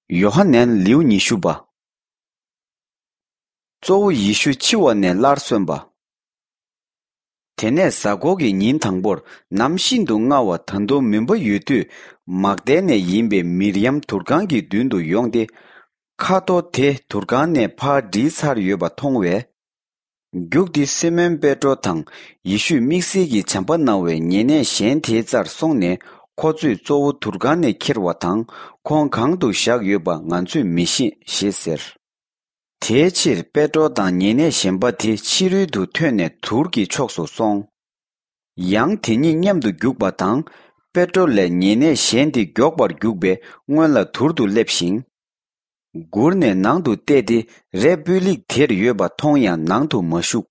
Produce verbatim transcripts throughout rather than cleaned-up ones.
ཡོ་ཧ་ནན། ལེའུ་ཉི་ཤུ་པ། གཙོ་བོ་ཡེ་ཤུ་འཆི་བ་ནས་སླར་གསོན་པ། དེ་ནས་གཟའ་འཁོར་གྱི་ཉིན་དང་པོར་ནམ་ཤིན་ཏུ་སྔ་བ་ད་དུང་མུན་པ་ཡོད་དུས། མག་དལ་ནས་ཡིན་པའི་མིར་ཡམ་དུར་ཁང་གི་མདུན་དུ་ཡོང་སྟེ། ཁ་དོག་དེ་དུར་ཁང་ནས་ཕར་བསྒྲིལ་ཚར་ཡོད་པ་མཐོང་བས། རྒྱུགས་ཏེ་སི་མོན་པེ་ཏྲོ་དང་ཡེ་ཤུས་དམིགས་བསལ་གྱི་བྱམས་པ་གནང་བའི་ཉེ་གནས་གཞན་དེའི་རྩར་སོང་ནས། ཁོ་ཚོས་གཙོ་བོ་དུར་ཁང་ནས་ཁྱེར་བ་དང་། ཁོང་གང་དུ་བཞག་ཡོད་པ་ང་ཚོས་མི་ཤེས་ཞེས་ཟེར། དེའི་ཕྱིར་པེ་ཏྲོ་དང་ཉེ་གནས་གཞན་པ་དེ་ཕྱི་རོལ་དུ་ཐོན་ནས་དུར་གྱི་ཕྱོགས་སུ་སོང་། ཡང་དེ་གཉིས་མཉམ་དུ་རྒྱུག་པ་དང་། པེ་ཏྲོ་ལས་ཉེ་གནས་གཞན་དེ་མགྱོགས་པར་རྒྱུག་པས་སྔོན་ལ་དུར་དུ་སླེབས་ཤིང་། གུར་ནས་ནང་དུ་བལྟས་ཏེ། རས་སྤུས་ལེགས་དེར་ཡོད་པ་མཐོང་ཡང་ནང་དུ་མ་ཞུགས།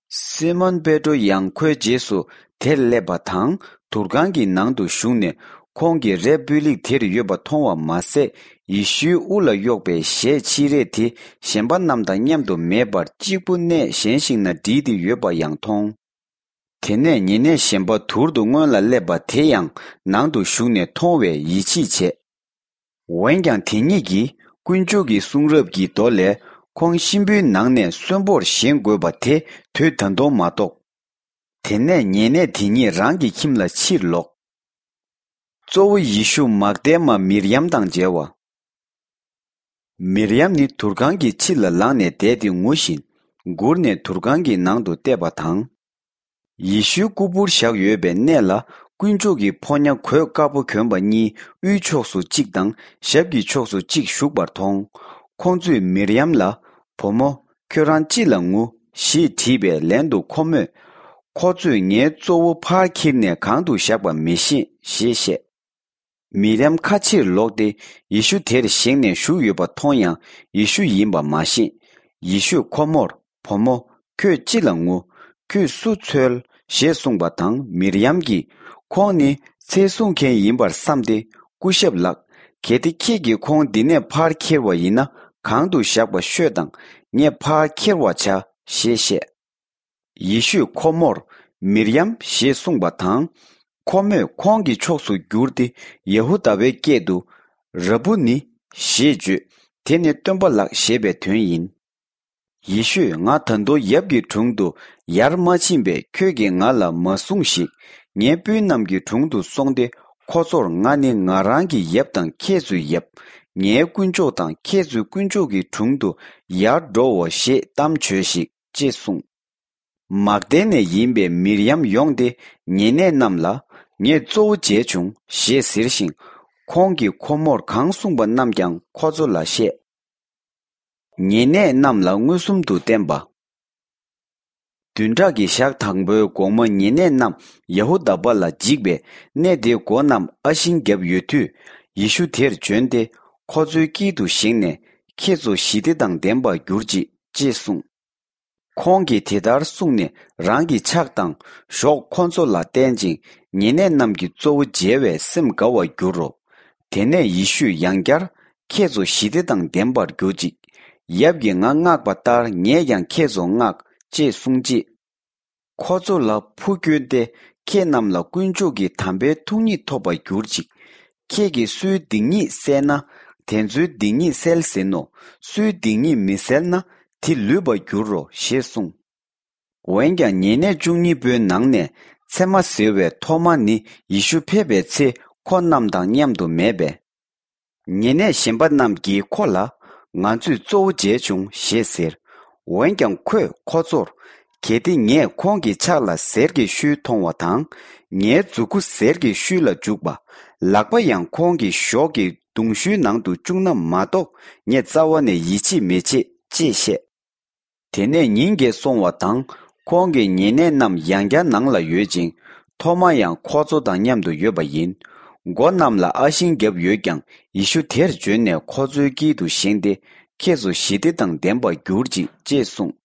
སི་མོན་པེ་ཏྲོ་ཡང་ཁོའི་རྗེས་སུ་དེར་སླེབས་པ་དང་། དུར་ཁང་གི་ནང་དུ་ཞུགས་ནས། ཁོང་གིས་རས་སྤུས་ལེགས་དེར་ཡོད་པ་མཐོང་བ་མ་ཟད། ཡེ་ཤུའི་དབུ་ལ་གཡོགས་པའི་ཞལ་ཕྱི་རས་དེ་གཞན་པ་རྣམས་དང་མཉམ་དུ་མེད་པར། གཅིག་པུ་གནས་གཞན་ཞིག་ན་བསྒྲིལ་ཏེ་ཡོད་པ་ཡང་མཐོང་། དེ་ནས་ཉེ་གནས་གཞན་པ་དུར་དུ་སྔོན་ལ་སླེབས་པ་དེ་ཡང་ནང་དུ་ཞུགས་ནས་མཐོང་བས་ཡིད་ཆེས་བྱས། འོན་ཀྱང་དེ་གཉིས་ཀྱིས་དཀོན་མཆོག་གི་གསུང་རབ་ཀྱི་མདོ་ལས། ཁོང་གཤིན་པོའི་ནང་ནས་གསོན་པོར་བཞེངས་དགོས་པ་དེ་དུས་ད་དུང་མ་རྟོགས། དེ་ནས་ཉེ་གནས་དེ་གཉིས་རང་གི་ཁྱིམ་ལ་ཕྱིར་ལོག། གཙོ་བོ་ཡེ་ཤུ་མག་དལ་མ་མིར་ཡམ་དང་མཇལ་བ། མིར་ཡམ་ནི་དུར་ཁང་གི་ཕྱི་ལ་ལངས་ནས་བསྡད་དེ་ངུ་བཞིན། གུར་ནས་དུར་ཁང་གི་ནང་དུ་བལྟས་པ་དང་། ཡེ་ཤུའི་སྐུ་ཕུར་བཞག་ཡོད་པའི་གནས་ལ། དཀོན་མཆོག་གི་ཕོ་ཉ་གོས་དཀར་པོ་གྱོན་པ་གཉིས། དབུའི་ཕྱོགས་སུ་གཅིག་དང་ཞབས་ཀྱི་ཕྱོགས་སུ་གཅིག་བཞུགས་པར་མཐོང་། ཁོང་ཚོས་མིར་ཡམ་ལ། བུ་མོ། ཁྱོད་རང་ཅི་ལ་ངུ། ཞེས་དྲིས་པས། ལན་དུ་ཁོ་མོས། ཁོ་ཚོས་ངའི་གཙོ་བོ་ཕར་ཁྱེར་ནས་གང་དུ་བཞག་པ་མི་ཤེས་ཞེས་བཤད། མིར་ཡམ་ཁ་ཕྱིར་ལོག་སྟེ། ཡེ་ཤུ་དེར་བཞེངས་ནས་བཞུགས་ཡོད་པ་མཐོང་ཡང་། ཡེ་ཤུ་ཡིན་པ་མ་ཤེས། ཡེ་ཤུས་ཁོ་མོར། བུ་མོ། ཁྱོད་ཅི་ལ་ངུ། ཁྱོད་སུ་འཚོལ། ཞེས་གསུངས་པ་དང་། མིར་ཡམ་གྱིས། ཁོང་ནི་ཚེ་སྲུང་མཁན་ཡིན་པར་བསམས་ཏེ། སྐུ་ཞབས་ལགས། གལ་ཏེ་ཁྱེད་ཀྱིས་ཁོང་འདི་ནས་ཕར་ཁྱེར་བ་ཡིན་ན། གང་དུ་བཞག་པ་ཤོད་དང་། ངས་ཕར་ཁྱེར་བར་བྱ། ཞེས་བཤད། ཡེ་ཤུས་ཁོ་མོར། མིར་ཡམ། ཞེས་གསུངས་པ་དང་། ཁོ་མོས་ཁོང་གི་ཕྱོགས་སུ་བསྒྱུར་ཏེ། ཡ་ཧུ་དཱ་པའི་སྐད་དུ། ར་བུ་ནི། ཞེས་བརྗོད། དེ་ནི་སྟོན་པ་ལགས་ཞེས་པའི་དོན་ཡིན། ཡེ་ཤུས། ང་ད་དུང་ཡབ་ཀྱི་དྲུང་དུ་ཡར་མ་ཕྱིན་པས། ཁྱོད་ཀྱིས་ང་ལ་མ་གསུངས་ཤིག། ངའི་སྤུན་རྣམས་ཀྱི་དྲུང་དུ་སོང་སྟེ། ཁོ་ཚོར། ང་ནི་ང་རང་གི་ཡབ་དང་ཁྱེད་ཚོའི་ཡབ། ངའི་དཀོན་མཆོག་དང་ཁྱེད་ཚོའི་དཀོན་མཆོག་གི་དྲུང་དུ་ཡར་འགྲོའོ་ཞེས་གཏམ་བྱོས་ཤིག། ཅེས་གསུངས། མག་དལ་ནས་ཡིན་པའི་མིར་ཡམ་ཡོང་སྟེ། ཉེ་གནས་རྣམས་ལ། ངས་གཙོ་བོ་མཇལ་བྱུང་། ཞེས་ཟེར་ཞིང་། ཁོང་གིས་ཁོ་མོར་གང་གསུངས་པ་རྣམས་ཀྱང་ཁོ་ཚོ་ལ་བཤད། ཉེ་གནས་རྣམས་ལ་མངོན་སུམ་དུ་བསྟན་པ། བདུན་ཕྲག་གི་ཞག་དང་པོའི་དགོང་མོ། ཉེ་གནས་རྣམས་ཡ་ཧུ་དཱ་པ་ལ་འཇིགས་པས། གནས་དེའི་སྒོ་རྣམས་ཨ་ཤིང་བརྒྱབ་ཡོད་དུས། ཡེ་ཤུ་དེར་བྱོན་ཏེ། ཁོ་ཚོའི་དཀྱིལ་དུ་བཞེངས་ནས། ཁྱེད་ཚོ་ཞི་བདེ་དང་ལྡན་པར་གྱུར་ཅིག། ཅེས་གསུངས། ཁོང་གིས་དེ་ལྟར་གསུངས་ནས། རང་གི་ཕྱག་དང་གཞོགས་ཁོ་ཚོ་ལ་བསྟན་ཅིང་། ཉེ་གནས་རྣམས་ཀྱིས་གཙོ་བོ་མཇལ་བས་སེམས་དགའ་བར་འགྱུར་རོ། དེ་ནས་ཡེ་ཤུས་ཡང་བསྐྱར། ཁྱེད་ཚོ་ཞི་བདེ་དང་ལྡན་པར་གྱུར་ཅིག། ཡབ་ཀྱིས་ང་མངགས་པ་ལྟར། ངས་ཀྱང་ཁྱེད་ཚོ་མངགས། ཅེས་གསུངས་རྗེས། ཁོ་ཚོ་ལ་འཕུར་བསྐྱོན་ཏེ། ཁྱེད་རྣམས་ལ་དཀོན་མཆོག་གི་དམ་པའི་ཐུགས་ཉིད་ཐོབ་པར་གྱུར་ཅིག། ཁྱེད་ཀྱིས་སུའི་སྡིག་ཉེས་བསལ་ན། དེ་ཚོའི་སྡིག་ཉེས་བསལ་ཟིན་ནོ། སུའི་སྡིག་ཉེས་མི་བསལ་ན། དེ་ལུས་པར་འགྱུར་རོ། ཞེས་གསུངས། འོན་ཀྱང་ཉེ་གནས་བཅུ་གཉིས་པོའི་ནང་ནས་མཚེ་མ་ཟེར་བའི་ཐོ་མ་ནི། ཡེ་ཤུ་ཕེབས་པའི་ཚེ་ཁོ་རྣམས་དང་མཉམ་དུ་མེད་པས། ཉེ་གནས་གཞན་པ་རྣམས་ཀྱིས་ཁོ་ལ། ང་ཚོས་གཙོ་བོ་མཇལ་བྱུང་། ཞེས་ཟེར། འོན་ཀྱང་ཁོས་ཁོ་ཚོར། གལ་ཏེ་ངས་ཁོང་གི་ཕྱག་ལ་གཟེར་གྱི་ཤུལ་མཐོང་བ་དང་། ངའི་མཛུ་གུ་གཟེར་གྱི་ཤུལ་ལ་འཇུག་པ། ལག་པ་ཡང་ཁོང་གི་གཞོགས་ཀྱི་གདུང་ཤུལ་ནང་དུ་བཅུག་ན་མ་གཏོགས། ངས་རྩ་བ་ནས་ཡིད་ཆེས་མི་བྱེད། ཅེས་བཤད། དེ་ནས་ཉིན་འགའ་སོང་བ་དང་། ཁོང་གི་ཉེ་གནས་རྣམས་ཡང་བསྐྱར་ནང་ལ་ཡོད་ཅིང་། ཐོ་མ་ཡང་ཁོ་ཚོ་དང་མཉམ་དུ་ཡོད་པ་ཡིན། སྒོ་རྣམས་ལ་ཨ་ཤིང་བརྒྱབ་ཡོད་ཀྱང་། ཡེ་ཤུ་དེར་བྱོན་ནས་ཁོ་ཚོའི་དཀྱིལ་དུ་བཞེངས་ཏེ། ཁྱེད་ཚོ་ཞི་བདེ་དང་ལྡན་པར་གྱུར་ཅིག། ཅེས་གསུངས།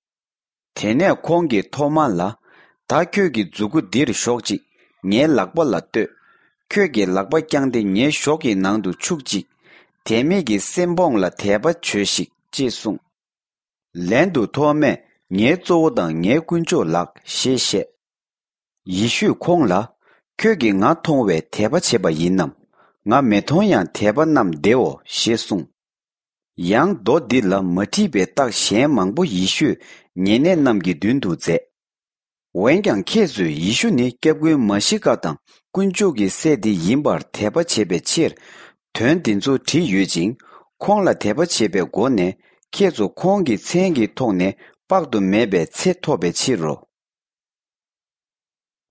དེ་ནས་ཁོང་གིས་ཐོ་མ་ལ། ད་ཁྱོད་ཀྱི་མཛུ་གུ་འདིར་གཞོག་ཅིག། ངའི་ལག་པ་ལ་ལྟོས། ཁྱོད་ཀྱིས་ལག་པ་བརྐྱངས་ཏེ་ངའི་གཞོགས་ཀྱི་ནང་དུ་ཆུག་ཅིག། དད་མེད་ཀྱི་སེམས་སྦོང་ལ་དད་པ་བྱོས་ཤིག། ཅེས་གསུངས། ལན་དུ་ཐོ་མས། ངའི་གཙོ་བོ་དང་ངའི་དཀོན་མཆོག་ལགས། ཞེས་བཤད། ཡེ་ཤུས་ཁོང་ལ། ཁྱོད་ཀྱིས་ང་མཐོང་བས་དད་པ་བྱས་པ་ཡིན་ནམ། ང་མི་མཐོང་ཡང་དད་པ་རྣམས་བདེའོ། ཞེས་གསུངས། ཡང་མདོ་འདི་ལ་མ་འཁྲིད་པའི་རྟགས་གཞན་མང་པོ་ཡེ་ཤོས་ཉེ་གནས་རྣམས་ཀྱི་མདུན་དུ་མཛད། འོན་ཀྱང་ཁྱེད་ཚོས་ཡེ་ཤུ་ནི་སྐྱབས་མགོན་མཱ་ཤི་ཀ་དང་དཀོན་མཆོག་གི་སྲས་དེ་ཡིན་པར་དད་པ་བྱེད་པའི་ཕྱིར། དོན་འདི་ཚོ་བྲིས་ཡོད་ཅིང་། ཁོང་ལ་དད་པ་བྱེད་པའི་སྒོ་ནས་ཁྱེད་ཚོ་ཁོང་གི་མཚན་གྱི་ཐོག་ནས་དཔག་ཏུ་མེད་པའི་ཚེ་ཐོབ་པའི་ཕྱིར་རོ།